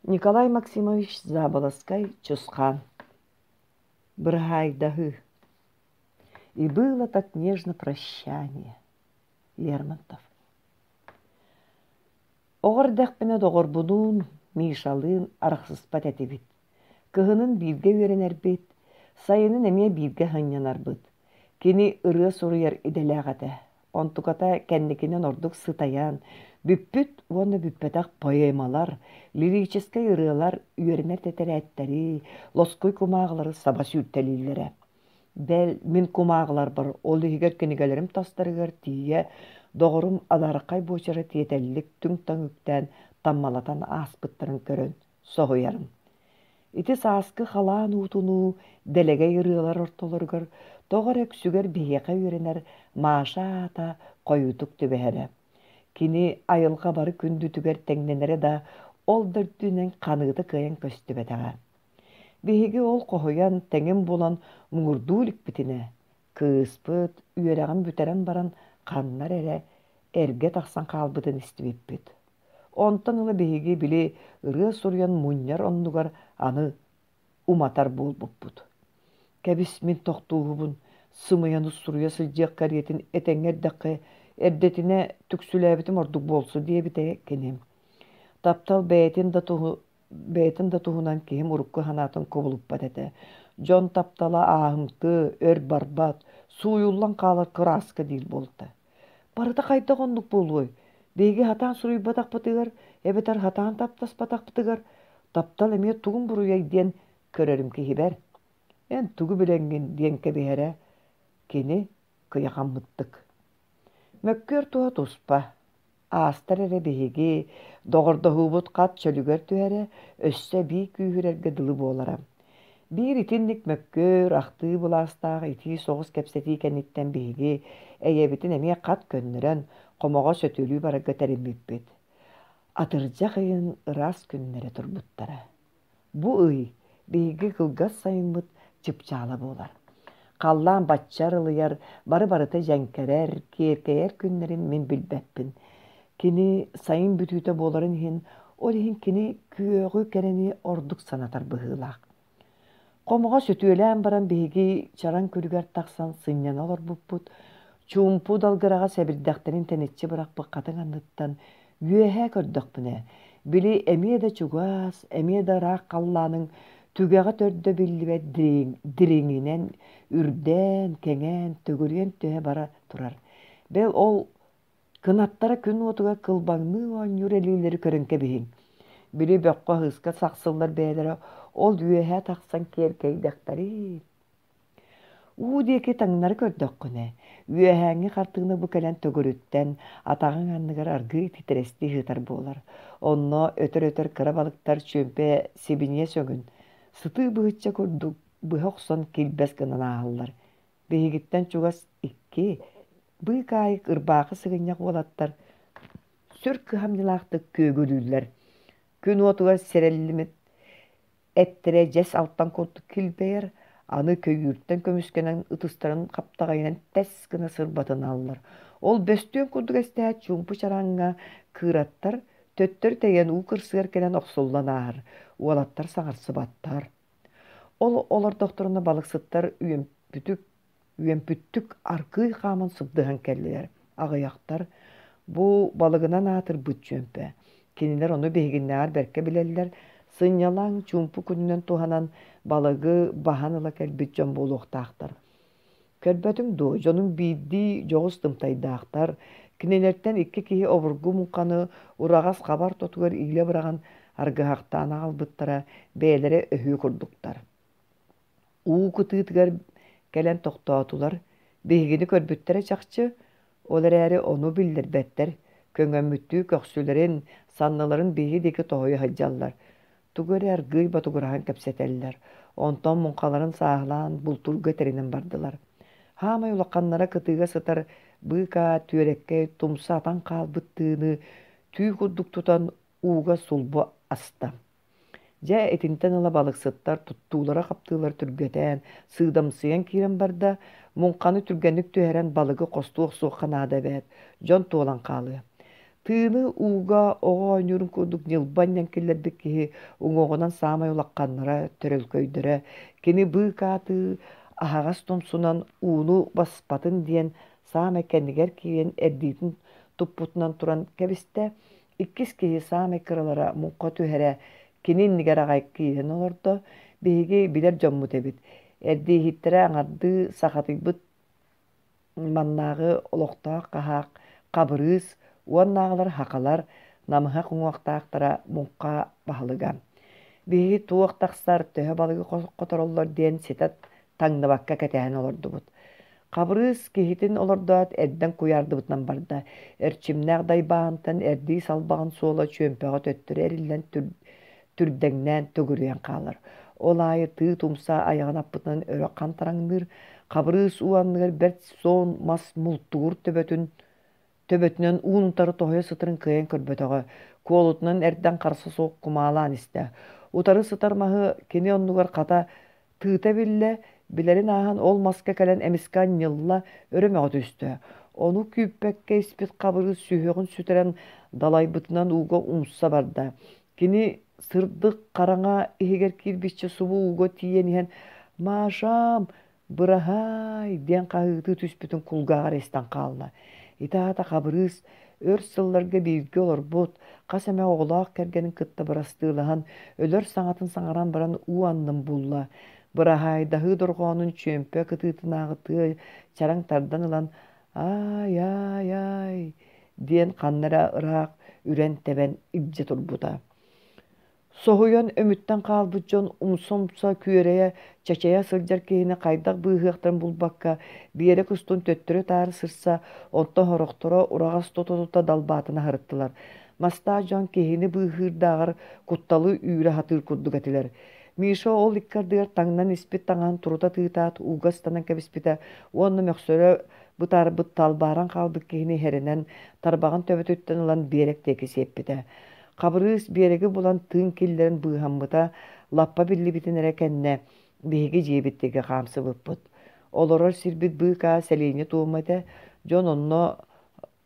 Николай Максимович Заболоцкай Чусхаан Быраһаайдаһыы И было так нежно прощание Лермонтов Оҕо эрдэхпинэ доҕорбунуун Мишалыын арахсыспат этибит. Кыһынын бииргэ үөрэнэрбит, сайынын эмиэ бииргэ сынньанарбыт. Кини ырыа суруйар идэлээх этэ. Онтуката кэнникинэн ордук сытайан, бүппүт уонна бүппэтэх поэмалар, лирическэй ырыалар үөрэнэр тэтэрээттэри, лоскуй кумааҕылары саба сүүртэлииллэрэ. Бэл, мин кумааҕыларбар, ол иһигэр кинигэлэрим тастарыгар тиийэ, доҕорум адаархай буочара тиэтэллик түҥ-таҥ үктээн таммалатан ааспыттарын көрөн соһуйарым. Ити сааскы халаан уутунуу дэлэгэй ырыалар ортолоругар тоҕо эрэ үксүгэр биһиэхэ үөрэнэр Маша аата хойуутук түбэһэрэ. Кини айылҕа бары күндүтүгэр тэҥнэнэрэ да, ол да үрдүнэн ханыыта кыайан көстүбэтэҕэ. Биһиги ол хоһуйан, тэҥин булан муҥурдуу иликпитинэ, кыыспыт үөрэҕин бүтэрэн баран ханна эрэ эргэ тахсан хаалбытын истибиппит. Онтон ыла биһиги били ырыа суруйан мунньар оннугар аны уматар буолбуппут. Кэбис мин тохтууһубун, сымыйаны суруйа сылдьыах кэриэтин этэҥҥэ эрдэххэ эрдэтинэ түксүлээбитим ордук буолсу диэбитэ кини. Таптал бэйэтин да туһу бэйэтин да туһунан киһим урукку санаатын кубулуппат этэ. Дьон таптала ааһымтыы, өр барбат, сууйуллан хаалар кырааска диир буолта. Барыта хайдах оннук буолуой? Биһиги сатаан суруйбатахпытыгар эбэтэр сатаан таптаспатахпытыгар таптал эмиэ тугун буруйай диэн көрөрүм киһибэр. Эн тугу билэҥҥин диэн кэбиһэрэ кини кыйахаммыттык. Мөккүөр туһа туспа. Аастар эрэ биһиги доҕордоһуубут хат чөлүгэр түһэрэ, өссө эбии күүһүрэргэ дылы буолара. Биир итинник мөккүөр, ахтыы былаастаах итии соҕус кэпсэтии кэнниттэн биһиги эйэбитин эмиэ хат көннөрөн, хомоҕо сөтүөлүү барарга тэриммиппит. Атырдьах ыйын ыраас күннэрэ турбуттара. Бу ый биһиги кылгас сайыммыт чыпчаала буолар. Халлаан бачча арылыйар, бары-барыта дьэҥкэрэр, киэркэйэр күннэрин мин билбэппин. Кини сайын бүтүүтэ буоларын иһин, ол иһин кини күөҕү кэрэни ордук санатар быһыылаах. Хомоҕо сөтүөлээн баран биһиги чараҥ күлүгэр тахсан сынньана олорбуппут, чуумпу далгыраҕа сэбирдэхтэрин тэниччи бырахпыт хатыҥ анныттан Үөһээ көрдөхпүнэ, били эмиэ да чугас, эмиэ да ыраах халлааныҥ түгэҕэ төрдө биллибэт дириҥинэн үрдээн, кэҥээн, төгүрүйэн түһэ бара турар. Бэл ол кынаттара күн уотугар кылбаҥныы оонньуур элиилэри көрөн кэбиһиҥ. Били бөххө-ыһыска сахсыллар бэйэлэрэ ол үөһээ тахсан киэркэйдэхтэрий. Уу диэки таҥнары көрдөххүнэ, үөһээҥҥи хартыына бу кэлэн төгүрүттэн, атаҕыҥ анныгар аргыый титирэстии сытар буолар. Онно өтөр-өтөр кыра балыктар чүөмпэ сибиниэс өҥүн, сытыы быһычча курдук быһа охсон килбэс гынан ааһаллар. Биһигиттэн чугас икки, быыкаайык ырбаахы сыгынньах уолаттар сүр кыһамньылаахтык күөгүлүүллэр. Күн уотугар сирэллимит Эттэрэ дьэс алтан курдук килбэйэр, аны көйүүртэн көмүскэнэн ытыстарын хаптаҕайынан тэс гына сырбатыналлар. Ол бөстүөн курдук эстээт чуумпу чараҥҥа кыыраттар төттөрү тэйэн уу кырсыгар кэлэн охсуллан ааһар, уолаттар саҥарсыбаттар. Ол олордохторуна балыксыттар үөмпүтүк Үөмпүттүк аргыый хааман сыбдыһан кэллилэр. Аҕыйахтар бу балыгынан аатырбыт чүөмпэ. Кинилэр ону биһигиннээҕэр бэркэ билэллэр, сынньалаҥ, чуумпу күнүнэн туһанан балыгы баһан ыла кэлбит дьон буолуохтаахтар. Көрбөтүҥ дуо, дьонум биирдии дьоҕус тымтайдаахтар, кинилэртэн икки киһи обургу муҥханы ураҕас хаба ортотугар иилэ быраҕан аргыһахтаан аҕалбыттара, бэйэлэрэ өһүө курдуктар. Уу кытыытыгар кэлэн тохтоотулар, биһигини көрбүттэрэ чахчы, ол эрээри ону биллэрбэттэр, көҥөммүттүү көхсүлэрин, санныларын биһиги диэки тоһуйа сылдьаллар, тугу эрэ аргыый ботугураһан кэпсэтэллэр, онтон муҥхаларын сааһылаан бултуурга тэринэн бардылар. Хаамай улаханнара кытыыга сытар быыкаа түөрэккэй тумса атан хаалбыт тыыны түү курдук тутан ууга сулбу аста. Дьэ, итинтэн ыла балыксыттар туттуулара-хаптыылара түргэтээн, сыыдамсыйан киирэн барда, муҥханы түргэнник түһэрэн балыгы хостуу охсуохха наада эбээт, дьон туолан хаалыа. Тыыны ууга оҕо оонньуурун курдук ньылба анньан киллэрбит киһи уҥуоҕунан саамай улаханнара, төрөлкөйдөрө. Кини быыкаатыы аһаҕас тумсунан ууну баспатын диэн саамай кэннигэр киирэн эрдиитин туппутунан туран кэбистэ. Иккис киһи саамай кыралара муҥха түһэрэ кини иннигэр аҕай киирэн олордо. Биһиги билэр дьоммут эбит. Эрдииһиттэрэ аҥардыы сахатыйбыт маннааҕы олохтоох хаһаак Хабырыыс уоннааҕылар хахалар намыһах уҥуохтаахтара муҥха баһылыга. Биһиги туох тахсар, төһө балыгы хотороллор диэн ситэ таҥныбакка кэтэһэн олордубут. Хабырыыс киһитин олордоот эрдэн куйаардыбытынан барда. Эрчимнээх дайбааһынтан эрдии салбаҕын суола чүөмпэҕэ төттөрү эриллэн түрдэҥнээн төгүрүйэн хаалар. Ол аайы тыы тумса айаҕын аппытынан өрө хантараҥныыр, Хабырыыс уу анныгар бэрт суон мас мултугур төбөтүн төбөтүнэн уун утары тоһуйа сытарын кыайан көрбөтөҕө, куолутунан эрдэн харса суох кумаалаан истэ. Утары сытар маһы кини оннугар хата тыыта биллэ, билэрин ааһан ол маска кэлэн эмискэ анньылла, өрө мөҕө түстэ. Ону күүппэккэ испит Хабырыыс сүһүөҕүн сүтэрэн далайбытынан ууга умса барда. Кини сырдык хараҥа иһигэр киирбиччэ субу ууга тиийэн иһэн «Машам, быраһаай!» диэн хаһыытыы түспүтүн кулгааҕар истэн хаалла. Ити аата Хабырыыс өр сылларга бииргэ олорбут, хас эмэ оҕолоох кэргэнин кытта бырастыылаһан, өлөр саҥатын саҥаран баран уу аннын булла. Быраһаайдаһыы дорҕоонун чүөмпэ кытыытынааҕы тыа чараҥ тардан ылан «Аай-аай-аай!» диэн ханна эрэ ыраах үрэн-тэбэн илдьэ турбута. Соһуйан өмүттэн хаалбыт дьон умса-умса күөрэйэ, чачайа сылдьар киһини хайдах быыһыахтарын булбакка, биэрэк устун төттөрү-таары сырса, онтон сорохторо ураҕас тута-тута далбаатана сырыттылар. Мастаах дьон киһини быыһыырдааҕар кутталы үүрэ сатыыр курдук этилэр. Миша ол икки ардыгар таҥнан испит таҥаһын турута тыытаат ууга ыстанан кэбиспитэ уонна мөхсөрө бытаарбыт талбааран хаалбыт киһини иһэринэн тарбаҕын төбөтүттэн ылан биэрэк диэки сиэппитэ. Хабырыыс биэрэги булан тыын киллэрэн быыһаммыта лаппа биллибитин эрэ кэннэ биһиги дьиэбит диэки хаамсыбыппыт. Олорор сирбит быыкаа сэлиэнньэ туома этэ, дьон онно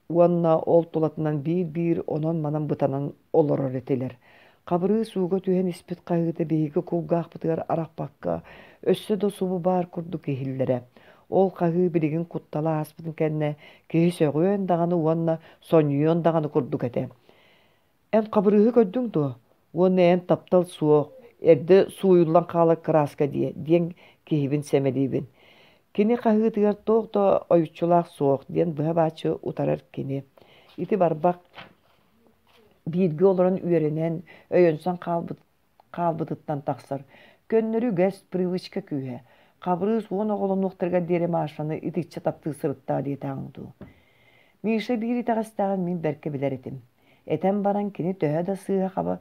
уонна ол тулатынан биир-биир онон-манан бытанан олорор этилэр. Хабырыыс ууга түһэн испит хаһыыта биһиги кулгаахпытыгар арахпакка, өссө да субу баар курдук иһиллэрэ. Ол хаһыы билигин куттала ааспытын кэннэ киһи сөҕүөн даҕаны уонна сонньуйуон даҕаны курдук этэ. Эн Хабырыыһы көрдүҥ дуо? Уонна эн таптал суох, эрдэ сууйуллан хаалар кырааска диэ диэн киһибин сэмэлиибин. Кини хаһыытыгар туох да ойуччулаах суох диэн быһа-бааччы утарар кини. Ити барбах бииргэ олорон үөрэнэн, өйөнсөн хаалбыт хаалбытыттан тахсар. Көннөрү үгэс, привычка күүһэ. Хабырыыс уон оҕолонуохтарыгар диэри Машаны итиччэ таптыы сырыттаа диэтэҕиҥ дуу. Миша биир итэҕэстээҕин мин бэркэ билэр этим. Этэн баран кини төһө да сыыһа-хаба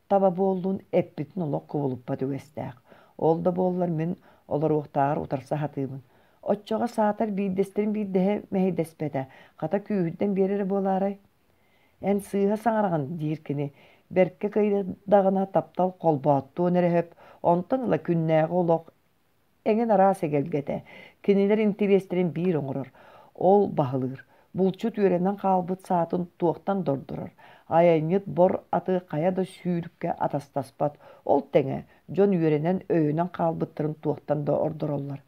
таба буоллун, эппитин олох кубулуппат үгэстээх. Ол да буоллар мин олоруохтааҕар утарса сатыыбын. Оччоҕо саатар биирдэстэрин биирдэһэ мэһэйдэспэтэ, хата күүһүрдэн биэрэрэ буолаарай? Эн сыыһа саҥараҕын, диир кини, бэркэ кыайдаҕына таптал холбооттуон эрэ сөп, онтон ыла күннээҕи олох эҥин араас эгэлгэтэ, кинилэр интириэстэрин биир оҥорор, ол баһылыыр. Булчут үөрэнэн хаалбыт саатын туохтан да ордорор, айанньыт бор аты хайа да сүүрүккэ атастаспат, ол тэҥэ дьон үөрэнэн өйөнөн хаалбыттарын туохтан да ордороллор.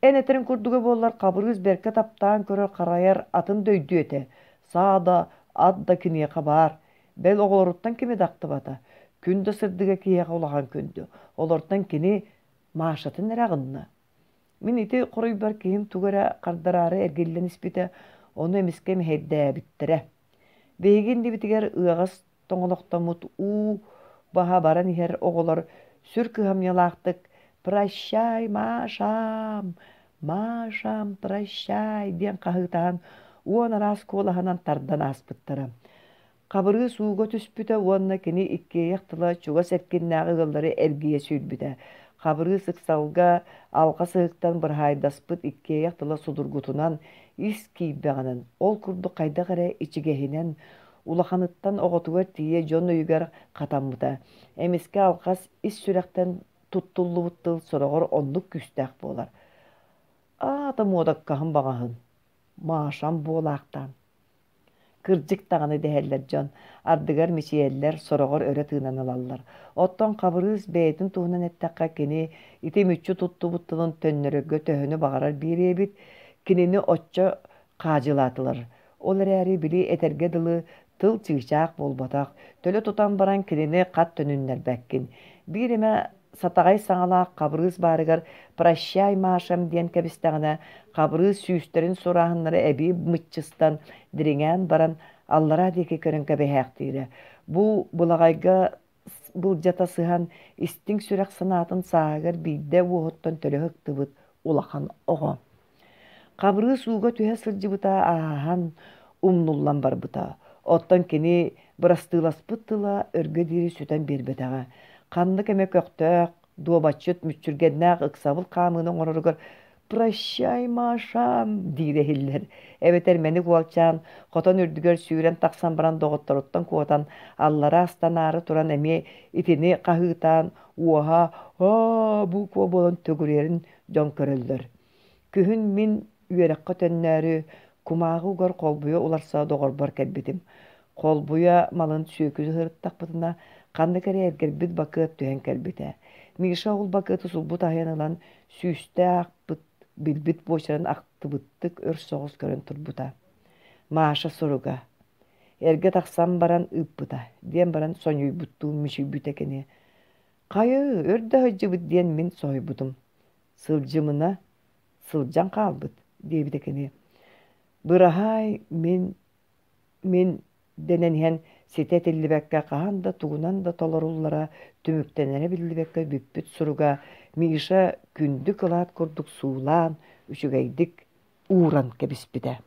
Эн этэриҥ курдуга буоллар, Хабырыыс бэркэ таптаан көрөр-харайар атын да өйдүө этэ. Саа да, ат да киниэхэ баар. Бэл оҕолоруттан кими да ахтыбата. Күн да сырдыга киһиэхэ улахан күндү. Олортон кини Машатын эрэ аҕынна. Мин ити хоруйбар киһим тугу эрэ хардараары эргиллэн испитэ, ону эмискэ мэһэйдээбиттэрэ. Биһиги иннибитигэр ыаҕас тоҥолохтоммут уу баһа баран иһэр оҕолор сүр кыһамньылаахтык «Прощай, Машам! Машам, прощай!» диэн хаһыытаһан уон араас куолаһынан тардан ааспыттара. Хабырыыс ууга түспүтэ уонна кини иккиэйэх тыла чугас эркиннээҕи ыаллары эргийэ сүүрбүтэ. Хабырыыс ыксалга алҕас ыһыктан быраһаайдаспыт иккиэйэх тыла судургутунан, ис киирбэҕинэн, ол курдук хайдах эрэ ичигэһинэн, Улаханыттан оҕотугар тиийэ дьон өйүгэр хатаммыта. Эмискэ алҕас ис сүрэхтэн туттуллубут тыл сороҕор оннук күүстээх буолар. Аата муодаккаһын баҕаһын, Машам буолаахтаан. Кырдьык даҕаны дэһэллэр дьон, ардыгар мичийэллэр, сороҕор өрө тыынан ылаллар. Оттон Хабырыыс бэйэтин туһунан эттэххэ, кини ити мүччү туттубут тылын төннөрөргө төһөнү баҕарар биэриэ эбит, кинини оччо хаадьылаатылар. Ол эрээри, били этэргэ дылы, тыл чыычаах буолбатах, төлө тутан баран кинини хат төнүннэрбэккин. Биир эмэ сатаҕай саҥалаах Хабырыыс баарыгар «Прощай, Машам» диэн кэбистэҕинэ, Хабырыыс сүүстэрин сурааһыннара эбии мыччыстан, дириҥээн баран, аллараа диэки көрөн кэбиһээхтиирэ. Бу былаҕайга былдьата сыһан, истиҥ сүрэх санаатын сааһыгар биирдэ уоһуттан төлө ыктыбыт улахан оҕо. Хабырыыс ууга түһэ сылдьыбыта ааһан, умнуллан барбыта. Оттон кини бырастыыласпыт тыла өргө диэри сүтэн биэрбэтэҕэ. Ханнык эмэ көхтөөх, дуобатчыт мүччүргэннээх ыксабыл хаамыыны оҥороругар «Прощай, Маша!» диирэ иһиллэр. Эбэтэр мэник уолчаан хотон үрдүгэр сүүрэн тахсан баран доҕотторуттан куотан, аллара астанаары туран эмиэ итини хаһыытаан, уоһа «Аа!» буква буолан төгүрүйэрин дьон көрөллөр. Күһүн мин үөрэххэ төннөөрү, кумааҕы угар холбуйа уларса доҕорбор кэлбитим. Холбуйа малын сүөкүлү сырыттахпытына, ханнык эрэ эргэрбит бакыат түһэн кэлбитэ. Миша ол бакыаты сулбу таһыйан ылан, сүүстэ аахпыт, билбит буочарын ахтыбыттык өр соҕус көрөн турбута. Маша суруга «Эргэ тахсан баран ыыппыта» диэн баран сонньуйбуттуу мүчүйбүтэ кини. «Хайы, өр да сылдьыбыт» диэн мин соһуйбутум. «Сылдьымына, сылдьан хаалбыт» диэбитэ кини. «Быраһаай, мин, мин» дэнэн иһэн ситэ этиллибэккэ хаһан да тугунан да толоруллара түмүктэнэрэ биллибэккэ бүппүт суруга Миша күндү кылаат курдук суулаан, үчүгэйдик ууран кэбиспитэ.